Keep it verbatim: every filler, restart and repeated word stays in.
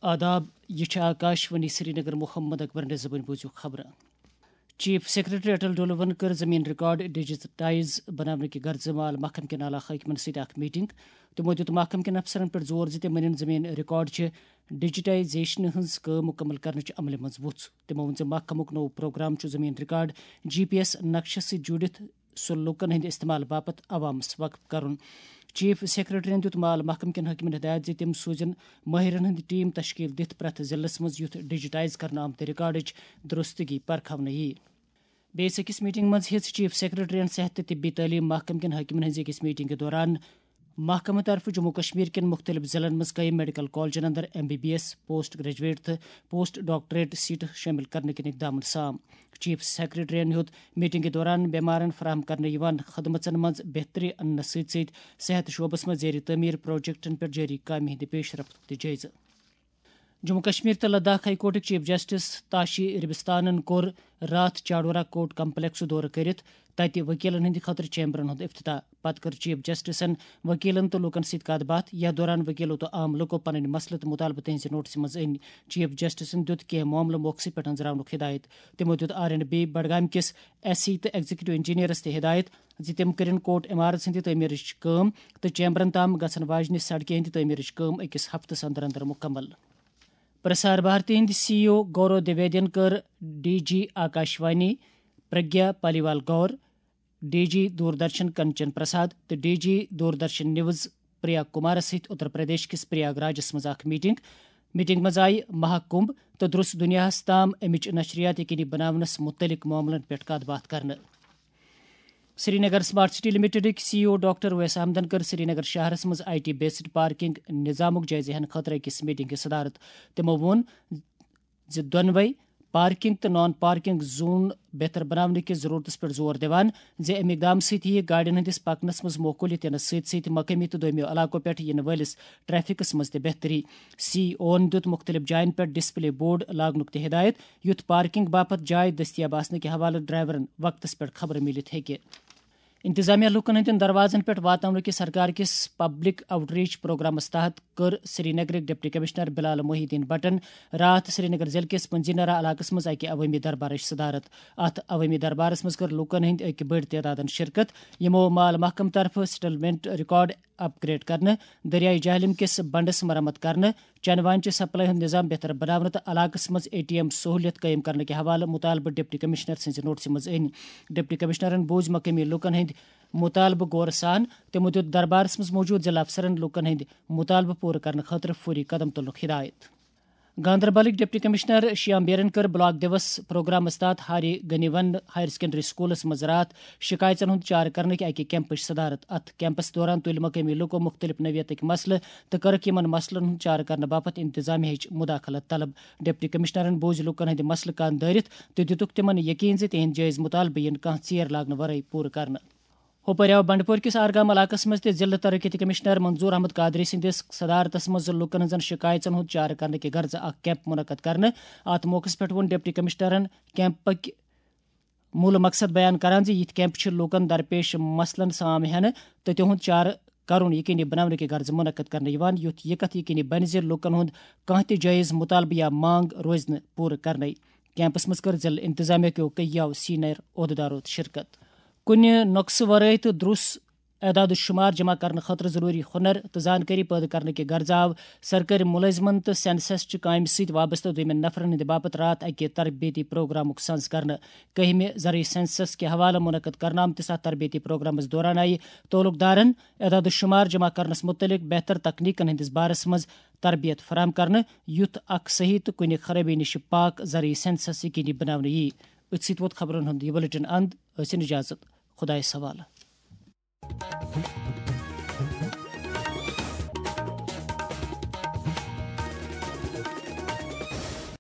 آداب، یہِ چھِ آکاش وانی سرینگر۔ محمد اکبرن زبٲنۍ بوٗزِو خبرٕ۔ چیف سیکرٹری اٹل ڈولون کٔر زمین ریکارڈ ڈیجیٹائز بناونہٕ کہِ غرضہٕ مال محکمہٕ کٮ۪ن اعلیٰ حٲکمن سۭتۍ اکھ میٹنگ۔ تِمو دیُت محکمہٕ کٮ۪ن افسرن پٮ۪ٹھ زور زِ تِم أنِن زمین ریکارڈ چہِ ڈیجیٹائزیشنہِ ہٕنٛز کٲم مُکمل کرنٕچ عملہِ منٛز وُژھ۔ تِمو ووٚن زِ محکمُک نوٚو پروگرام چھُ زمین ریکارڈ جی پی ایس نقشس سۭتۍ جوڑِتھ سُہ لوٗکن ہٕنٛدِ استعمال باپتھ عوامس وقف کرُن۔ چیف سیکرٹریَن دیُت مال محکمہٕ کٮ۪ن حٲکمن ہدایت زِ تِم سوزن مٲہرن ہٕنٛدۍ ٹیم تشکیل دِتھ پرٛٮ۪تھ ضلعس منٛز یُتھ ڈیجیٹائز کرنہٕ آمتہِ ریکارڈٕچ درستگی پرکھاونہٕ یِیہِ۔ بیٚیِس أکِس میٹنگ منٛز ہیٚژ چیف سیکرٹریَن صحت تہٕ طبی تعلیٖم محکمہٕ کٮ۪ن حٲکمن ہٕنٛزِ أکِس میٹنگہِ دوران محکمہٕ طرفہٕ جموں کشمیر کٮ۪ن مُختٔلِف ضلعن منٛز قٲیِم میڈیکل کالجن اندر M B B S, post graduate تہٕ پوسٹ ڈاکٹریٹ سیٹہٕ شٲمِل کرنہٕ کٮ۪ن اقدامن سام۔ چیف سیکرٹریَن ہیوٚت میٹنگہِ دوران بیمارن فراہم کرنہٕ یِوان خدمژن منٛز بہتری اننس سۭتۍ سۭتۍ صحت شعبس منٛز زیر تعمیٖر پروجیکٹن پٮ۪ٹھ جٲری کامہِ ہٕنٛدِ پیش رفت تہِ جٲیزٕ۔ جموں کشمیر تہٕ Ladakh high کورٹٕکۍ chief justice Tashi ربستانن کوٚر راتھ چاڈورہ کورٹ کمپلیکسُک دورٕ کٔرِتھ تتہِ وکیلن ہٕنٛدِ خٲطرٕ چیمبرن ہُنٛد افتتاح۔ پتہٕ کٔر چیف جسٹسن وکیلن تہٕ لوٗکن سۭتۍ کتھ باتھ۔ یتھ دوران وکیلو تہٕ عام لوٗکو پنٕنۍ مسلہٕ تہٕ مطالبہٕ تہنٛزِ نوٹسہِ منٛز أنۍ۔ چیف جسٹسن دیُت کینٛہہ معاملہٕ موقعہٕ پٮ۪ٹھ أنٛزراونُک ہدایت۔ تِمو دیُت آر اینڈ بی بڈگام کِس ایس سی تہٕ ایگزیکٹو انجینئرس تہِ ہدایت زِ تِم کٔرِن کورٹ عمارژ ہٕنٛدِ تعمیٖرٕچ کٲم تہٕ چیمبرن تام گژھن واجنہِ سڑکہِ ہٕنٛدِ تعمیٖرٕچ کٲم أکِس ہفتس اندر اندر مُکمل۔ پرسار بھارتی ہٕنٛدۍ سی ای او گورو دویدین کٔر ڈی جی آکاشوانی پرگیا پالیوال گور، ڈی جی دوردرشن کنچن پرساد تہٕ ڈی جی دوردرشن نیوز پریا کمارس سۭتۍ اتر پردیش کِس پریاگ راجس منٛز اکھ میٹنگ۔ میٹنگ منٛز آیہِ مہا کمبھ تہٕ درس دنیاہس تام امِچ نشریات یقینی بناونس مُتعلق معاملن پٮ۪ٹھ کتھ باتھ کرنہٕ۔ سرینگر سمارٹ سٹی لمیٹڈٕکۍ سی ای او ڈاکٹر اویس احمدن کٔر سرینگر شہرس منٛز آئی ٹی بیسڈ پارکنگ نظامُک جٲیزٕ ہینہٕ خٲطرٕ أکِس میٹنگ ہٕنٛز صدارت۔ تِمو ووٚن زِ دۄنوَے پارکنگ تہٕ نان پارکنگ زون بہتر بناونہٕ کِس ضرورتس پٮ۪ٹھ زور دِوان زِ اَمہِ اقدام سۭتۍ یِیہِ گاڑٮ۪ن ہٕنٛدِس پکنس منٛز معقولیت یِنس سۭتۍ سۭتۍ مقٲمی تہٕ دوٚیمٮ۪و علاقو پٮ۪ٹھ یِنہٕ وٲلِس ٹریفکس منٛز تہِ بہتری۔ سی ای اوَن دیُت مُختٔلِف جاین پٮ۪ٹھ ڈسپلے بورڈ لاگنُک تہِ ہدایت، یُتھ پارکنگ باپتھ جاے دٔستیاب آسنہٕ کہِ حوالہٕ ڈرائیورن وقتس پٮ۪ٹھ خبر میٖلِتھ ہیٚکہِ۔ انتظامیہ لوٗکن ہٕنٛدٮ۪ن دروازن پٮ۪ٹھ واتناونہٕ کِس سرکار کِس پبلک آؤٹ ریچ پروگرامس تحت کٔر سرینگرٕکۍ ڈپٹی کمشنر بلال محی الدین بٹن راتھ سرینگر ضلعہٕ کِس پنزینرا علاقس منٛز اکہِ عوٲمی دربارٕچ صدارت۔ اتھ عوٲمی دربارس منٛز کٔر لوٗکن ہٕنٛدۍ أکۍ بٔڑۍ تعدادن شرکت، یِمو مال محکمہٕ طرفہٕ سیٹلمنٹ ریکارڈ اپ گریڈ کرنہٕ، دریائے جہلم کِس بنڈس مرمت کرنہٕ، چنہٕ وانہِ چہِ سپلائی ہُنٛد نظام بہتر بناونہٕ تہٕ علاقس منٛز اے ٹی ایم سہوٗلیت قٲیِم کرنہٕ کہِ حوالہٕ مُطالبہٕ ڈپٹی کمشنر سٕنٛزِ نوٹسہِ منٛز أنۍ۔ ڈپٹی کمشنرن بوٗزۍ مقٲمی لوٗکن ہٕنٛدۍ مُطالبہٕ غورٕ سان۔ تِمو دیُت دربارس منٛز موجود ضلع افسرن لوٗکن ہٕنٛدۍ مُطالبہٕ پوٗرٕ کرنہٕ خٲطرٕ فوری قدم تُلنُک ہدایت۔ گاندربلٕکۍ ڈپٹی کمشنر شیام بیرن کٔر بلاک دیوس پروگرامس تحت ہاری گنیون ہائر سیکنڈری سکولس منٛز راتھ شکایژن ہُنٛد چارٕ کرنٕکۍ اکہِ کیمپٕچ صدارت۔ اتھ کیمپس دوران تُلۍ مقٲمی لوٗکو مُختٔلِف نوعیتٕکۍ مسلہٕ تہٕ کٔرٕکھ یِمن مسلن ہُنٛد چارٕ کرنہٕ باپتھ انتظامیہٕچ مداخلت طلب۔ ڈپٹی کمشنرن بوٗزۍ لوٗکن ہٕنٛدۍ مسلہٕ کن دٲرِتھ تہٕ دِتُکھ تِمن یقین زِ تِہنٛدۍ جٲیز مُطالبہٕ یِن کانٛہہ ژیر لاگنہٕ ورٲے پوٗرٕ کرنہٕ۔ ہُپٲرۍ آو بنڈپور کِس آرگام علاقس منٛز تہِ ضلع ترقیتی کمشنر منظور احمد قادری سٕنٛدِس صدارتس منٛز لوٗکن ہٕنٛزن شکایژن ہُنٛد چارٕ کرنہٕ کہِ غرضہٕ اکھ کیمپ منعقد کرنہٕ۔ اتھ موقعس پٮ۪ٹھ ووٚن ڈپٹی کمشنرن کیمپٕکۍ مول مقصد بیان کران زِ یِتھۍ کیمپ چھِ لوٗکن درپیش مسلن سام ہینہٕ تہٕ تِہُنٛد چارٕ کرُن یقینی بناونہٕ کہِ غرضہٕ منعقد کرنہٕ یِوان، یُتھ یہِ کتھ یقینی بنہِ زِ لوٗکن ہُنٛد کانٛہہ تہِ جٲیز مُطالبہٕ یا مانگ روزِ نہٕ پوٗرٕ کرنَے۔ کیمپس منٛز کٔر ضلع انتظامیہ کیو کئی یو سینئر عہدیدارو تہِ شرکت۔ کُنہِ نۄقصہٕ ورٲے تہٕ درُس اعداد و شمار جمع کرنہٕ خٲطرٕ ضروری ہُنر تہٕ زانکٲری پٲدٕ کرنہٕ کہِ غرضہٕ آو سرکٲرۍ مُلٲزمن تہٕ سینسس چہِ کامہِ سۭتۍ وابستہٕ دوٚیمٮ۪ن نفرن ہٕنٛدِ باپتھ راتھ اکہِ تربیتی پروگرامُک سنز کرنہٕ۔ کٔہمہِ زرعی سینسس کہِ حوالہٕ منعقد کرنہٕ آمتِس اتھ تربیتی پروگرامس دوران آیہِ تعلق دارن اعداد و شمار جمع کرنس متعلق بہتر تکنیکن ہٕنٛدِس بارس منٛز تربیت فراہم کرنہٕ، یُتھ اکھ صحیح تہٕ کُنہِ خرٲبی نِش پاک زرعی سینسس یقینی بناونہٕ ییہِ۔ أتھۍ سۭتۍ ووت خبرن ہُنٛد یہِ بلیٹن اند۔ ٲسِن اجازت۔ خدایس حوالہٕ۔